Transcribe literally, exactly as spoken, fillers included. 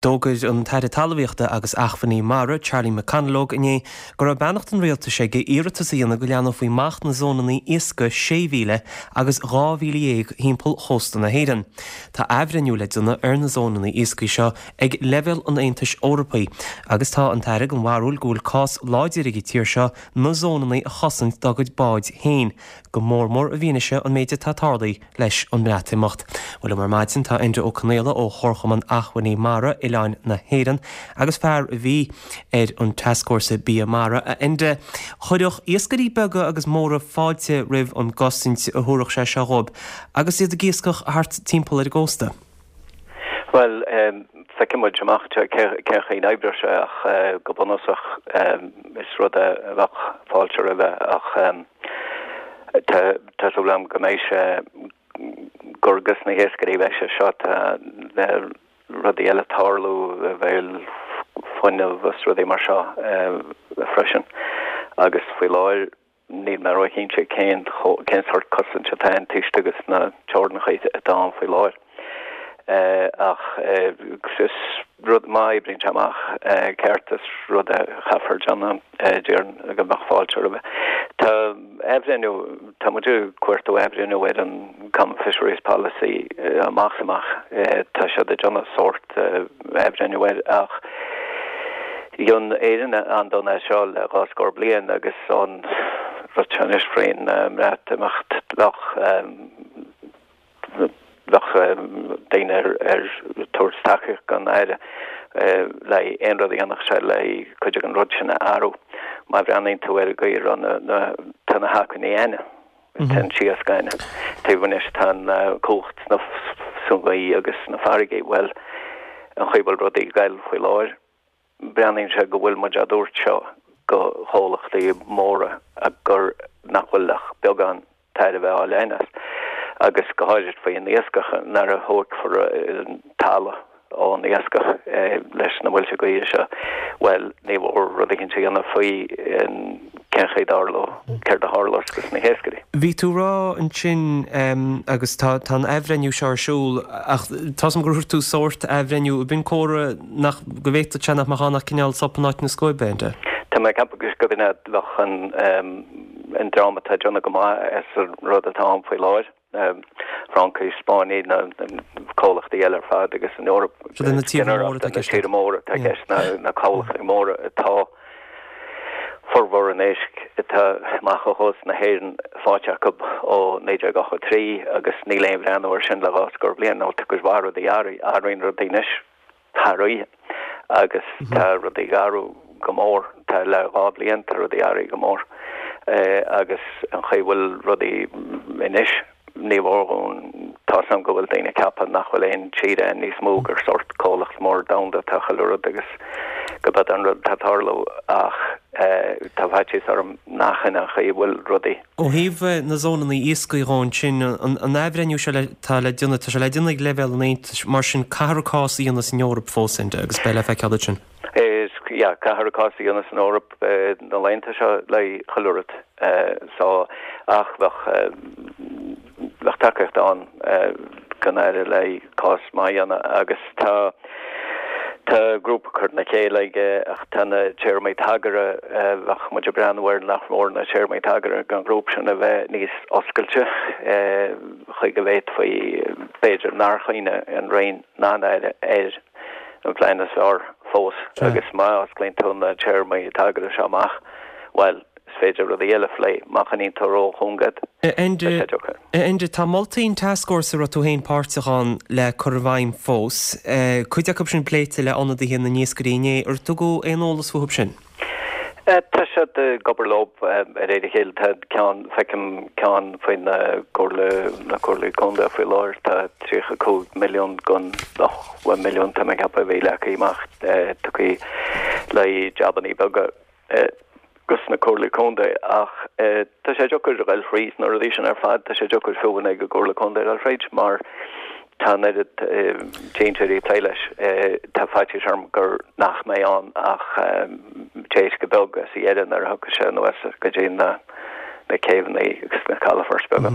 D'fhógair an tAire Talmhaíochta agus Acmhainní Mara Charlie McConalogue inné go raibh beannacht an rialtais aige iarratas a dhéanamh go leathnófaí amach na zónanna iascaigh sé mhíle agus dhá mhíle dhéag timpeall chósta na hÉireann. Tá athbhreithniú le déanamh ar na zónanna iascaigh seo ag leibhéal an Aontais Eorpaigh agus tá an tAire den bharúil go bhfuil cás láidir ag an tír seo na zónanna a chosaint dá gcuid báid féin, go mór mór i bhfianaise an méid atá tarlaithe leis an mBreatimeacht. Bhuel ar maidin tá Enda Ó Conaola ó Chomharchumann Acmhainní Mara Oileáin na hÉireann agus fear a bhí ar an tascfhórsa bia mara a Enda chuirfeadh iascairí beaga agus móra fáilte roimh an gcosaint a thabharfadh sé seo dóibh agus iad ag iascach thart timpeall ar an gcósta. Well um, feicfidh amach cén chaoi a n-oibreoidh sé ach uh, go bunúsach um, is rud a bheadh fáilte roimhe ach um, tá súil agam go mbeidh sé gur dos na hiascairí bheidh sé seo le rudaí eile tarlú bhfuil fuinneamh is rudaí mar seo freisin agus faoi láthair níl mé róchinnte cén cén sórt cosaint atá taobh agus na teorainneacha atá ann faoi láthair. ach is rud má oibríonn amach ceart is rud a chaithfear déanamh déarfainn go mbeadh fáilte roimhe. Tá athbhreithniú tá muid ag cuartú athbhreithniú ar an Common Fisheries Policy amach amach tá sé ag déanamh sórt athbhreithniú air ach dhein Éirinn an-dona é seo le dhá scór bliain agus an rud anois faoin mBreatimeacht bheadh bheadh daoine ar ar tabhairt tacaíocht don Aire le aon rud a dhéanfadh sé le cuid den rud sin a athrú. Má bhreathnaíonn tú ar go raibh na tá na hacmhainní againne tá an t-iasc againne. Taobh anois tá an cumhacht sna sungaí agus na farraigí well an chaoi a bhfuil rudaí ag goil faoi láthair. Breathnaíonn sé go bhfuil muid á dtabhairt seo go chomhlachtaí móra a gur nach bhfuil ach beagán tairbhe á lean agus go háirid faoin iascach nuair a thógfar talamh ón iascach leis na muilte gaoithe seo, well ní mhór rud éigin a dhéanamh faoi cén chaoi a dtarlódh céard a tharlós dos na hiascairí. Bhí tú ag rá ansin agus tá an athbhreithniú seo ar siúl ach tá gur thug tú sórt athbhreithniú b'in comhartha nach go bhféadfadh sé nach mbeadh ann ach cineál sop in áit na scuaibe Enda. Tá mé ag ceapadh go b'in bheadh an an dream atá ag déanamh go maith as an rud atá ann faoi láthair. Francaigh, Spáinnigh na comhlachtaí eile ar fad agus an Eoraip na tíortha móra atá i gceist na comhlachtaí móra atá formhór an éisc atá amach ó chósta na hÉireann faighte acu ó naoi déag ochtó trí agus níl aon bhreathnú ar sin le dhá scór bliain nó tá cuid mhaith rudaí athraíonn rudaí anois thar oíche agus tá rudaí ag athrú go mór tá le dhá bliain tá rudaí athraithe go mór agus an chaoi a bhfuil rudaí anois ní mhór tá sam go bhfuil daoine ag ceapadh nach bhfuil aon tír ann níos mó gur sórt comhlacht mór domhanda atá chuile rud agus go b'é an rud atá ag tarlú ach tá faitíos orm nach in an chaoi a bhfuil rudaí. Ó thaobh na zónanna iascaigh dhó ansin an athbhreithniú seo tá le déanamh tá sé le déanamh ag leibhéal an Aontais mar sin caithfear cás a dhéanamh san Eoraip fós Enda agus beidh le feiceáil ansin. Is yeah, caithfear cás a dhéanamh san Eoraip na laethanta seo le chuile rud so ach bheadh bheadh tacaíocht ann don Aire le cás maith a dhéanamh agus tá tá grúpa curtha le chéile aige ach tá na téarmaí tagartha bheadh muid ag breathnú ar nach mór na téarmaí tagartha don ghrúpa sin a bheith níos oscailte chuig go bhféadfaí b'fhéidir nár choinnigh an Roinn ná an Aire ar an phlean is fearr fós agus má osclaíonn tú na téarmaí tagartha seo amach well is féidir rudaí eile a phlé má choinníonn tú róchúng iad. Enda, tá moltaí an tascfhórsa a raibh tú féin páirteach ann le cur i bhfeidhm fós. Cuid acu sin pléite le ionadaithe na n-iascairí inné. Ar tugadh aon eolas fúthu sin? Tá siad ag obair leo ar réir a chéile. Tá ceann, feicim ceann faoi na comhairle, na comhairlí contae faoi láthair, tá tríocha cúig milliún den ochtó milliún tá mé ag ceapadh a bhí leagtha amach tugtha le jabannaí beaga. Dos na comhairlí contae ach tá sé deacair a ghoil fríd na rudaí sin ar fad, tá sé deacair fiú ag an gcomhairle contae a ghoil fríd mar tá an oiread déantóirí ag plé leis. Tá faitíos orm gur nach mbeidh ann ach déisce beag sa dheireadh nuair a thiocfaidh sé anuas go dtí na céibheanna agus na calafoirt beaga.